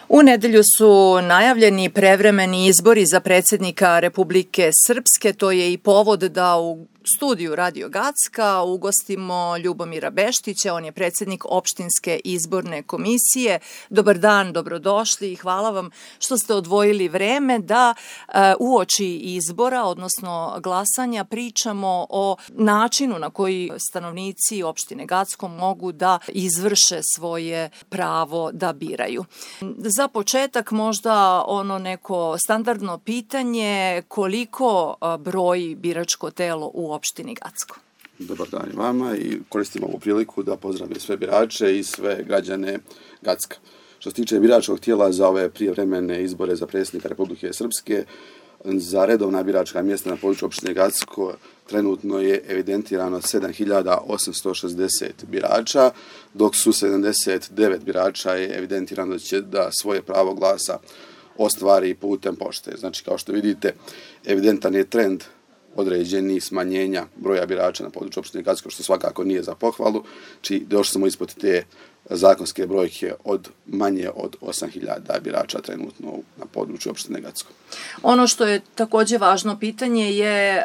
U nedjelju su najavljeni prevremeni izbori za predsjednika Republike Srpske. To je i povod da u studiju Radio Gacka ugostimo Ljubomira Beštića. On je predsjednik opštinske izborne komisije. Dobar dan, dobrodošli i hvala vam što ste odvojili vreme da uoči izbora, odnosno glasanja, pričamo o načinu na koji stanovnici opštine Gacko mogu da izvrše svoje pravo da biraju. Za početak možda ono neko standardno pitanje, koliko broji biračko telo u opštini Gacko? Dobar dan i vama i koristim ovu priliku da pozdravim sve birače i sve građane Gacka. Što se tiče biračkog tijela za ove prijevremene izbore za predsjednika Republike Srpske, za redovna biračka mjesta na području opštine Gacko trenutno je evidentirano 7.860 birača, dok su 79 birača je evidentirano da svoje pravo glasa ostvari putem pošte. Znači, kao što vidite, evidentan je trend određeni smanjenja broja birača na području opštine Gacko, što svakako nije za pohvalu, či došli smo ispod te zakonske brojke od manje od 8.000 birača trenutno na području opštine Gacko. Ono što je također važno pitanje je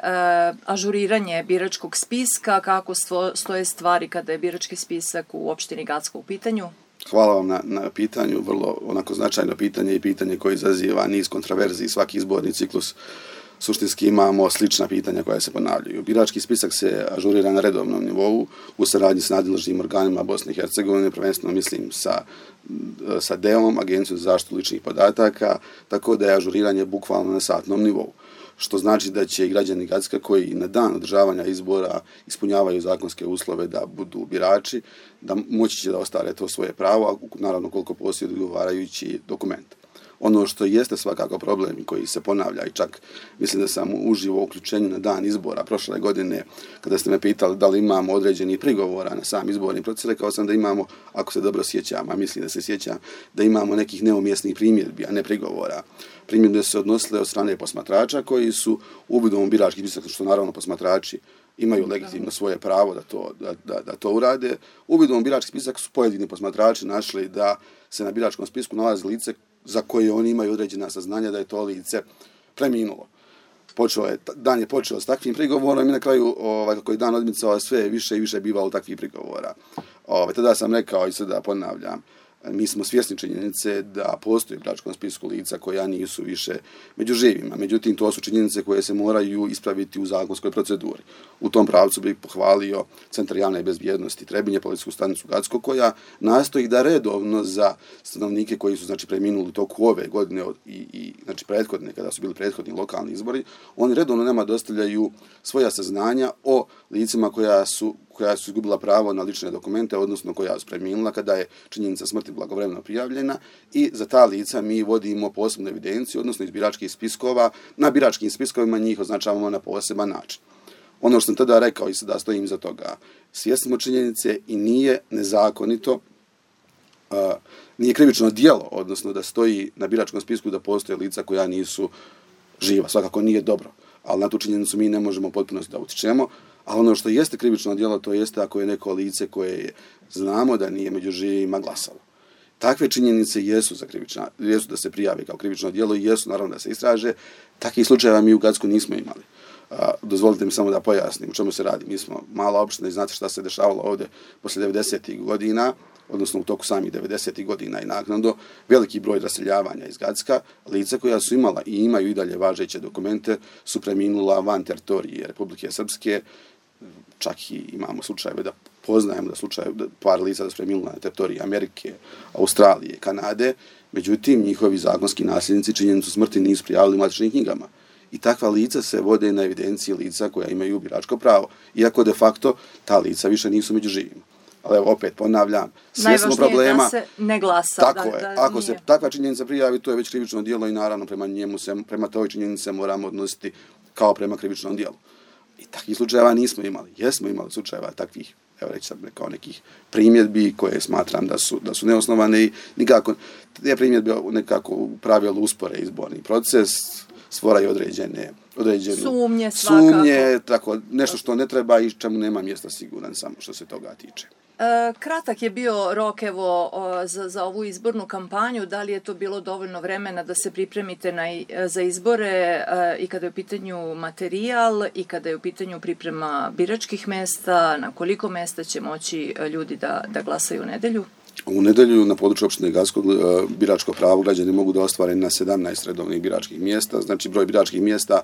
ažuriranje biračkog spiska. Kako stoje stvari kada je birački spisak u opštini Gacko u pitanju? Hvala vam na pitanju, vrlo onako značajno pitanje i pitanje koje izaziva niz kontroverziji. Svaki izborni ciklus suštinski imamo slična pitanja koja se ponavljaju. Birački spisak se ažurira na redovnom nivou u saradnji s nadležnim organima Bosne i Hercegovine, prvenstveno mislim sa DEOM, Agencijom za zaštitu ličnih podataka, tako da je ažuriranje bukvalno na satnom nivou. Što znači da će i građani Gacka koji na dan održavanja izbora ispunjavaju zakonske uslove da budu birači, da moći će da ostvare to svoje pravo, a naravno koliko posjeduju odgovarajući dokument. Ono što jeste svakako problem i koji se ponavlja i čak mislim da sam uživo u uključenju na dan izbora prošle godine, kada ste me pitali da li imamo određenih prigovora na sam izborni proces, rekao sam da imamo, ako se dobro sjećam, a mislim da se sjećam, da imamo nekih neumjesnih primjedbi, a ne prigovora. Primjedbe su se odnosile od strane posmatrača koji su uvidom u birački spisak, što naravno posmatrači imaju legitimno svoje pravo da to urade. Uvidom u birački spisak su pojedini posmatrači našli da se na biračkom spisku nalazi lice za koje oni imaju određena saznanja da je to lice preminulo. Dan je počeo s takvim prigovorom i na kraju, kako je dan odmicao, sve više i više bivalo takvih prigovora. Tada sam rekao i sada ponavljam, mi smo svjesni činjenice da postoji u biračkom spisku lica koja nisu više među živima. Međutim, to su činjenice koje se moraju ispraviti u zakonskoj proceduri. U tom pravcu bih pohvalio Centar javne bezbjednosti Trebinje, policijsku stanicu Gacko, koja nastoji da redovno za stanovnike koji su preminuli u toku ove godine i prethodne, kada su bili prethodni lokalni izbori, oni redovno nama dostavljaju svoja saznanja o licima koja su izgubila pravo na lične dokumente, odnosno koja su preminula kada je činjenica smrti blagovremeno prijavljena, i za ta lica mi vodimo posebnu evidenciju, odnosno iz biračkih spiskova, na biračkim spiskovima njih označavamo na poseban način. Ono što sam tada rekao i sada stojim iza toga, svjesni smo činjenice i nije nezakonito, nije krivično djelo, odnosno da stoji na biračkom spisku da postoje lica koja nisu živa, svakako nije dobro, ali na tu činjenicu mi ne možemo potpuno da utičemo. A ono što jeste krivično djelo, to jeste ako je neko lice koje znamo da nije među živima glasalo. Takve činjenice jesu da se prijave kao krivično djelo i jesu naravno da se istraže. Takvih slučajeva mi u Gacku nismo imali. Dozvolite mi samo da pojasnim o čemu se radi. Mi smo mala opština i znate šta se dešavalo ovdje poslije 90. godina, odnosno u toku samih 90. godina i naknadno, veliki broj raseljavanja iz Gacka. Lica koja su imala i imaju i dalje važeće dokumente su preminula van teritorije Republike Srpske. Čak i imamo slučajeve da poznajemo da par lica da su preminula na teritoriji Amerike, Australije, Kanade. Međutim, njihovi zakonski nasljednici činjenicu smrti nisu prijavili u matičnim knjigama. I takva lica se vode na evidenciji lica koja imaju biračko pravo. Iako de facto ta lica više nisu među živima. Ali evo, opet ponavljam, svjesno problema. Najvažnije da se ne glasa. Tako je. Ako se takva činjenica prijavi, to je već krivično djelo i naravno prema toj činjenici se moramo odnositi kao prema krivičnom djelu. I takvih slučajeva nismo imali. Jesmo imali slučajeva takvih, evo reći sam rekao, nekih primjedbi koje smatram da su neosnovane i nikako te primjedbe nekako u pravilu uspore izborni proces. stvaraju određene sumnje, tako nešto što ne treba i čemu nema mjesta, siguran sam što se toga tiče. Kratak je bio rok za ovu izbornu kampanju. Da li je to bilo dovoljno vremena da se pripremite za izbore i kada je u pitanju materijal i kada je u pitanju priprema biračkih mesta? Na koliko mesta će moći ljudi da glasaju u nedelju? U nedelju na području opštine Gacko biračko pravo građani mogu da ostvare na 17 redovnih biračkih mjesta. Znači broj biračkih mjesta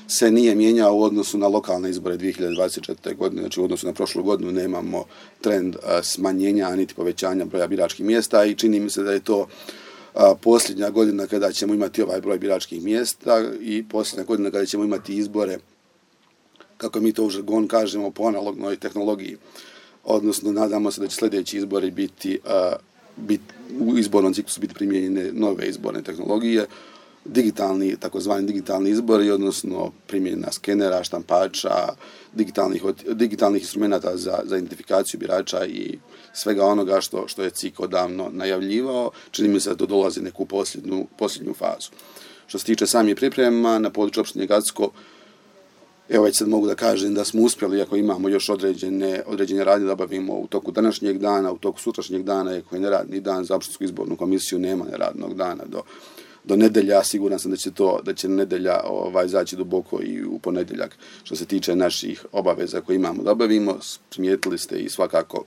se nije mijenjao u odnosu na lokalne izbore 2024. godine, znači u odnosu na prošlu godinu nemamo trend smanjenja niti povećanja broja biračkih mjesta i čini mi se da je to posljednja godina kada ćemo imati ovaj broj biračkih mjesta i posljednja godina kada ćemo imati izbore, kako mi to u žargonu kažemo, po analognoj tehnologiji. Odnosno, nadamo se da će sljedeći izbori biti u izbornom ciklusu biti primijenjene nove izborne tehnologije, takozvani digitalni izbori, odnosno primjena skenera, štampača, digitalnih instrumenata za identifikaciju birača i svega onoga što je CIK odavno najavljivao. Čini mi se da to dolazi neku posljednju fazu. Što se tiče samih priprema na području opštine Gacko, evo već sad mogu da kažem da smo uspjeli, ako imamo još određene radnje da obavimo u toku današnjeg dana, u toku sutrašnjeg dana, ako je neradni dan za opštinsku izbornu komisiju, nema neradnog dana do nedelja. Siguran sam da će nedelja zaći duboko i u ponedjeljak. Što se tiče naših obaveza koje imamo da obavimo, primijetili ste i svakako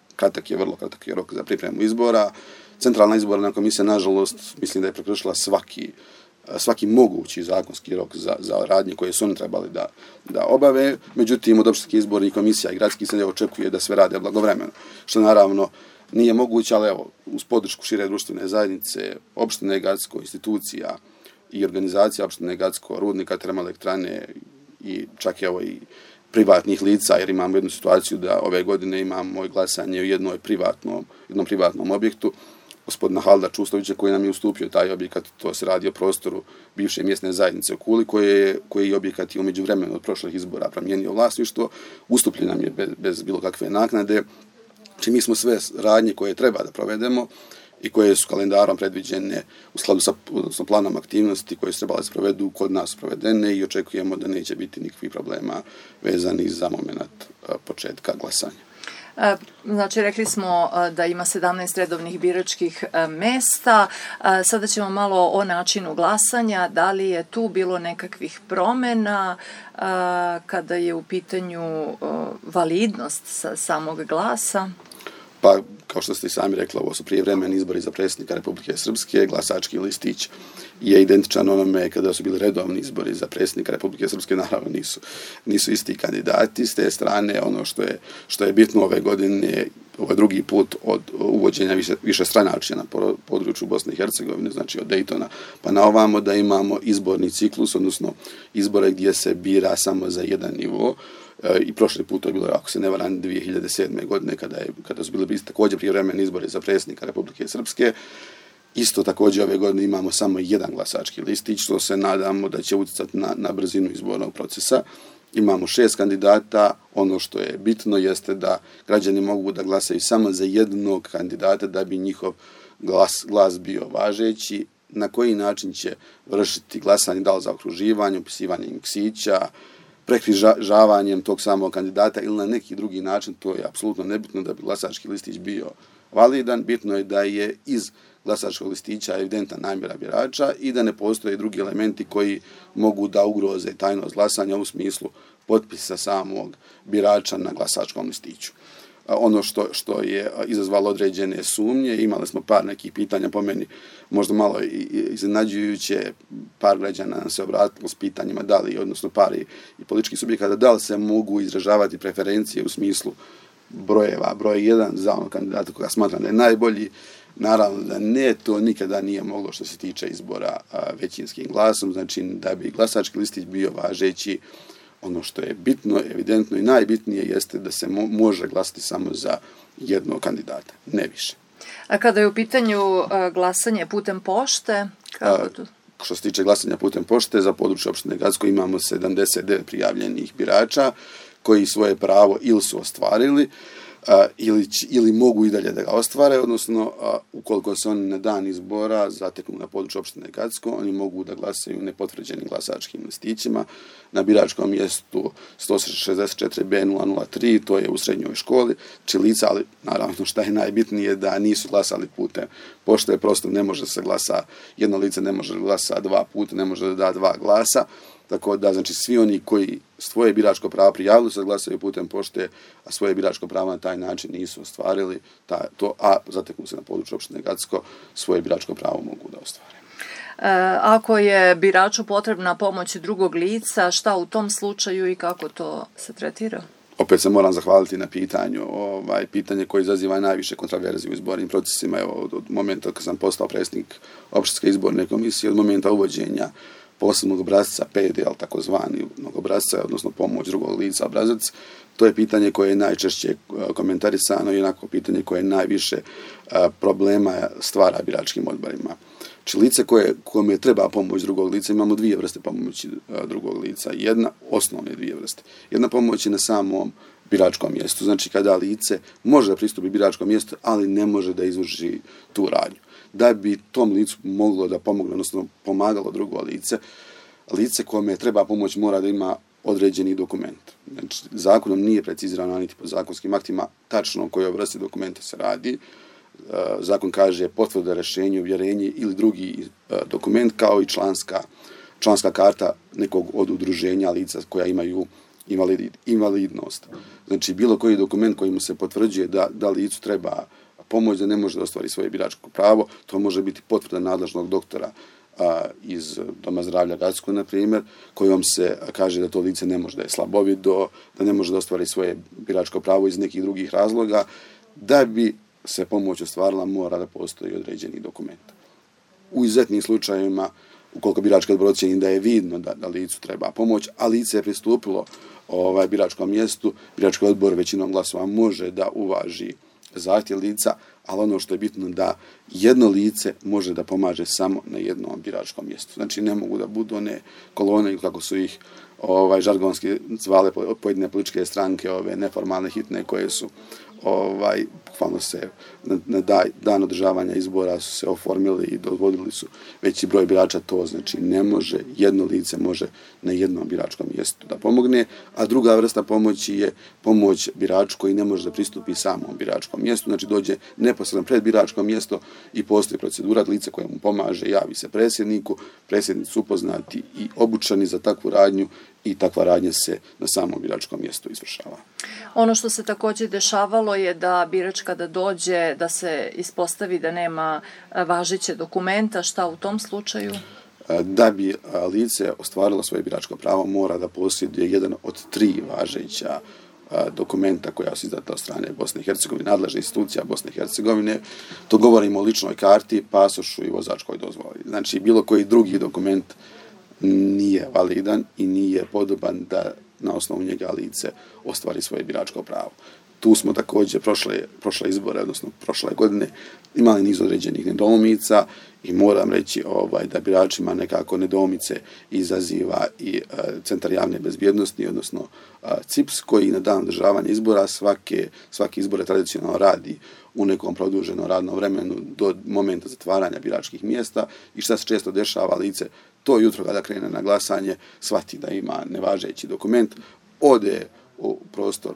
vrlo kratak je rok za pripremu izbora. Centralna izborna komisija, nažalost, mislim da je prekršila svaki mogući zakonski rok za radnje koje su oni trebali da obave. Međutim, od opštinskih izbornih komisija i gradskih se očekuje da sve rade blagovremeno, što naravno nije moguće, ali evo, uz podršku šire društvene zajednice, opštine Gacko, institucija i organizacija opštine Gacko, rudnika, termoelektrane i čak evo i privatnih lica, jer imamo jednu situaciju da ove godine imamo glasanje u jednom privatnom objektu, gospodina Halda Čustovića koji nam je ustupio taj objekat. To se radi o prostoru bivše mjesne zajednice u Kuli, koji objekat je u međuvremenu od prošlih izbora promijenio vlasništvo, ustupljen nam je bez bilo kakve naknade. Znači mi smo sve radnje koje treba da provedemo i koje su kalendarom predviđene u skladu sa planom aktivnosti koje su trebale se provedu kod nas provedene i očekujemo da neće biti nikakvih problema vezanih za moment početka glasanja. Znači, rekli smo da ima 17 redovnih biračkih mesta. Sada ćemo malo o načinu glasanja. Da li je tu bilo nekakvih promjena kada je u pitanju validnost samog glasa? Pa, kao što ste i sami rekli, ovo su prijevremeni izbori za predsjednika Republike Srpske. Glasački listić je identičan onome kada su bili redovni izbori za predsjednika Republike Srpske. Naravno, nisu isti kandidati. S te strane, ono što je bitno ove godine, ovo je drugi put od uvođenja višestranačja na području Bosne i Hercegovine, znači od Daytona pa na ovamo, da imamo izborni ciklus, odnosno izbore gdje se bira samo za jedan nivo. I prošli put to je bilo, ako se ne varam, 2007. godine kada su bili također prijevremeni izbori za predsjednika Republike Srpske. Isto također ove godine imamo samo jedan glasački listić, što se nadamo da će utjecati na brzinu izbornog procesa. Imamo 6 kandidata. Ono što je bitno jeste da građani mogu da glasaju samo za jednog kandidata da bi njihov glas bio važeći. Na koji način će vršiti glasanje, da li za okruživanje, upisivanjem ksića, prekrižavanjem tog samog kandidata ili na neki drugi način, to je apsolutno nebitno da bi glasački listić bio validan. Bitno je da je iz glasačkog listića evidentna namjera birača i da ne postoje drugi elementi koji mogu da ugroze tajnost glasanja u smislu potpisa samog birača na glasačkom listiću. Ono što je izazvalo određene sumnje, imali smo par nekih pitanja, po meni možda malo iznenađujuće, par građana nam se obratilo s pitanjima da li, odnosno par i političkih subjekata, da li se mogu izražavati preferencije u smislu brojeva, broj 1 za onog kandidata koga smatram da je najbolji. Naravno da ne, to nikada nije moglo što se tiče izbora većinskim glasom, znači da bi glasački listić bio važeći. Ono što je bitno, evidentno i najbitnije jeste da se može glasati samo za jednog kandidata, ne više. A kada je u pitanju glasanje putem pošte? Što se tiče glasanja putem pošte, za područje opštine Gacko imamo 79 prijavljenih birača koji svoje pravo ili su ostvarili ili mogu i dalje da ga ostvare, odnosno ukoliko se oni na dan izbora zateknu na području opštine Gacko, oni mogu da glasaju nepotvrđenim glasačkim listićima na biračkom mjestu 164B003, to je u srednjoj školi, lica, ali naravno šta je najbitnije da nisu glasali putem pošte, prosto ne može se glasa, jedno lice ne može glasa 2 puta, ne može da da 2 glasa. Tako da, znači, svi oni koji svoje biračko pravo prijavili se da glasaju putem pošte, a svoje biračko pravo na taj način nisu ostvarili, a zateknu se na području opštine Gacko, svoje biračko pravo mogu da ostvare. Ako je biraču potrebna pomoć drugog lica, šta u tom slučaju i kako to se tretira? Opet se moram zahvaliti na pitanju. Pitanje koje izaziva najviše kontraverzije u izbornim procesima. Evo, od momenta kad sam postao predsjednik opštinske izborne komisije, od momenta uvođenja posebnog obrazca PDL, takozvani obrazca, odnosno pomoć drugog lica obrazac, to je pitanje koje je najčešće komentarisano i onako pitanje koje najviše problema stvara biračkim odborima. Lice kome treba pomoć drugog lica, imamo 2 vrste pomoći drugog lica. Osnovne 2 vrste. Jedna pomoć je na samom biračkom mjestu, znači kada lice može da pristupi biračkom mjestu, ali ne može da izvrši tu radnju. Da bi tom licu moglo da pomogne, odnosno pomagalo drugo lice kome treba pomoć mora da ima određeni dokument. Znači, zakonom nije precizirano, niti po zakonskim aktima, tačno o kojoj vrsti dokumenta se radi. Zakon kaže potvrda, rješenje, uvjerenje ili drugi dokument, kao i članska karta nekog od udruženja lica koja imaju invalidnost. Znači, bilo koji dokument kojim se potvrđuje da licu treba pomoć, da ne može da ostvari svoje biračko pravo, to može biti potvrda nadležnog doktora iz Doma zdravlja Gacko, na primjer, kojom se kaže da to lice ne može da je slabovido, da ne može da ostvari svoje biračko pravo iz nekih drugih razloga. Da bi se pomoć ostvarila, mora da postoji određeni dokument. U izuzetnim slučajevima, ukoliko birački odbor ocjeni da je vidno da licu treba pomoć, a lice je pristupilo biračkom mjestu, birački odbor većinom glasova može da uvaži zahtjev lica, ali ono što je bitno da jedno lice može da pomaže samo na jednom biračkom mjestu. Znači, ne mogu da budu one kolone, kako su ih žargonski zvale pojedine političke stranke, ove neformalne hitne koje su bukvalno se na dan održavanja izbora su se oformili i dozvolili su veći broj birača. To znači ne može, jedno lice može na jednom biračkom mjestu da pomogne, a druga vrsta pomoći je pomoć biraču koji ne može da pristupi samom biračkom mjestu, znači dođe neposredno pred biračko mjesto i postoji procedura, lice koje mu pomaže javi se predsjedniku, predsjednici su upoznati i obučeni za takvu radnju i takva radnja se na samom biračkom mjestu izvršava. Ono što se također dešavalo je da birač kada dođe da se ispostavi da nema važeće dokumenta, šta u tom slučaju? Da bi lice ostvarilo svoje biračko pravo, mora da posjeduje jedan od 3 važeća dokumenta koja su izdata od strane Bosne i Hercegovine, nadležnih institucija Bosne i Hercegovine. To govorimo o ličnoj karti, pasošu i vozačkoj dozvoli. Znači, bilo koji drugi dokument nije validan i nije podoban da na osnovu njega lice ostvari svoje biračko pravo. Tu smo također prošle izbore, odnosno prošle godine, imali niz određenih nedoumica i moram reći da biračima nekako nedoumice izaziva i Centar javne bezbjednosti, odnosno CIPS, koji na dan održavanja izbora svaki izbore tradicionalno radi u nekom produženom radnom vremenu do momenta zatvaranja biračkih mjesta i šta se često dešava, lice to jutro kada krene na glasanje shvati da ima nevažeći dokument, ode u prostor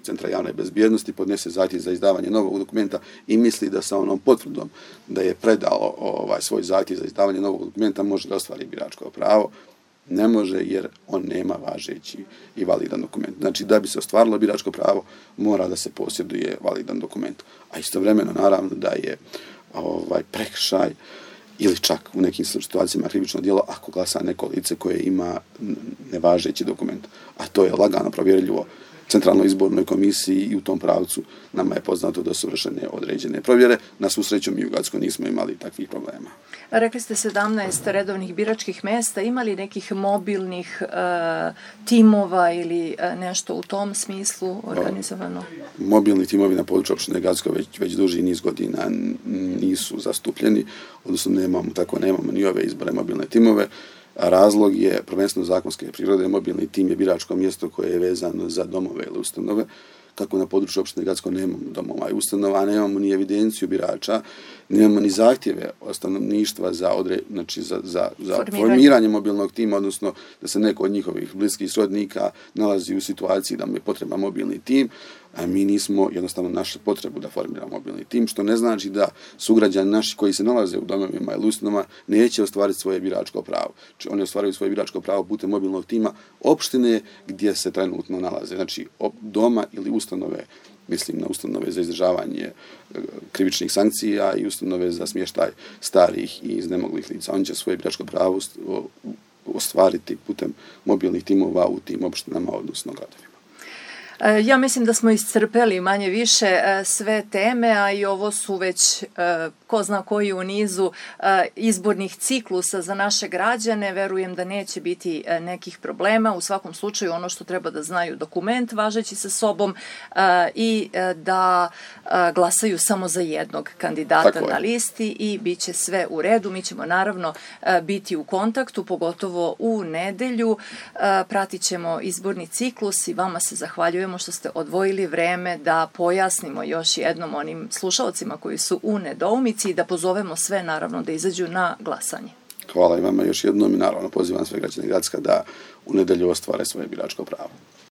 Centra javne bezbjednosti, podnese zahtjev za izdavanje novog dokumenta i misli da sa onom potvrdom da je predalo svoj zahtjev za izdavanje novog dokumenta može da ostvari biračko pravo. Ne može jer on nema važeći i validan dokument. Znači, da bi se ostvarilo biračko pravo, mora da se posjeduje validan dokument. A istovremeno, naravno, da je prekršaj ili čak u nekim situacijama krivično djelo ako glasa neko lice koje ima nevažeći dokument. A to je lagano provjerljivo Centralnoj izbornoj komisiji i u tom pravcu nama je poznato da su vršene određene provjere. Na svu sreću mi u Gacko nismo imali takvih problema. Rekli ste 17 redovnih biračkih mjesta. Ima li nekih mobilnih timova ili nešto u tom smislu organizovano? Mobilni timovi na području opštine Gacko već duži niz godina nisu zastupljeni, odnosno nemamo ni ove izbore mobilne timove. Razlog je prvenstveno zakonske prirode. Mobilni tim je biračko mjesto koje je vezano za domove ili ustanove kako na području opštine Gacko nemamo domova i ustanova, nemamo ni evidenciju birača, nemamo ni zahtjeve stanovništva za formiranje mobilnog tima, odnosno da se neko od njihovih bliskih srodnika nalazi u situaciji da mu je potreban mobilni tim, a mi nismo jednostavno našli potrebu da formiramo mobilni tim, što ne znači da sugrađani naši koji se nalaze u domovima ili ustanovama neće ostvariti svoje biračko pravo. Znači, oni ostvaruju svoje biračko pravo putem mobilnog tima opštine gdje se trenutno nalaze. Znači, doma ili ustanove, mislim na ustanove za izdržavanje krivičnih sankcija i ustanove za smještaj starih i iznemoglih lica. Oni će svoje biračko pravo ostvariti putem mobilnih timova u tim opštinama, odnosno gradovima. Ja mislim da smo iscrpeli manje više sve teme, a i ovo su već ko zna koji u nizu izbornih ciklusa za naše građane. Verujem da neće biti nekih problema. U svakom slučaju ono što treba da znaju, dokument važeći sa sobom i da glasaju samo za jednog kandidata na listi i bit će sve u redu. Mi ćemo naravno biti u kontaktu, pogotovo u nedelju. Pratit ćemo izborni ciklus i vama se zahvaljujemo što ste odvojili vreme da pojasnimo još jednom onim slušalcima koji su u nedoumici i da pozovemo sve naravno da izađu na glasanje. Hvala i vama još jednom i naravno pozivam sve građane Gracka da u nedelju ostvare svoje biračko pravo.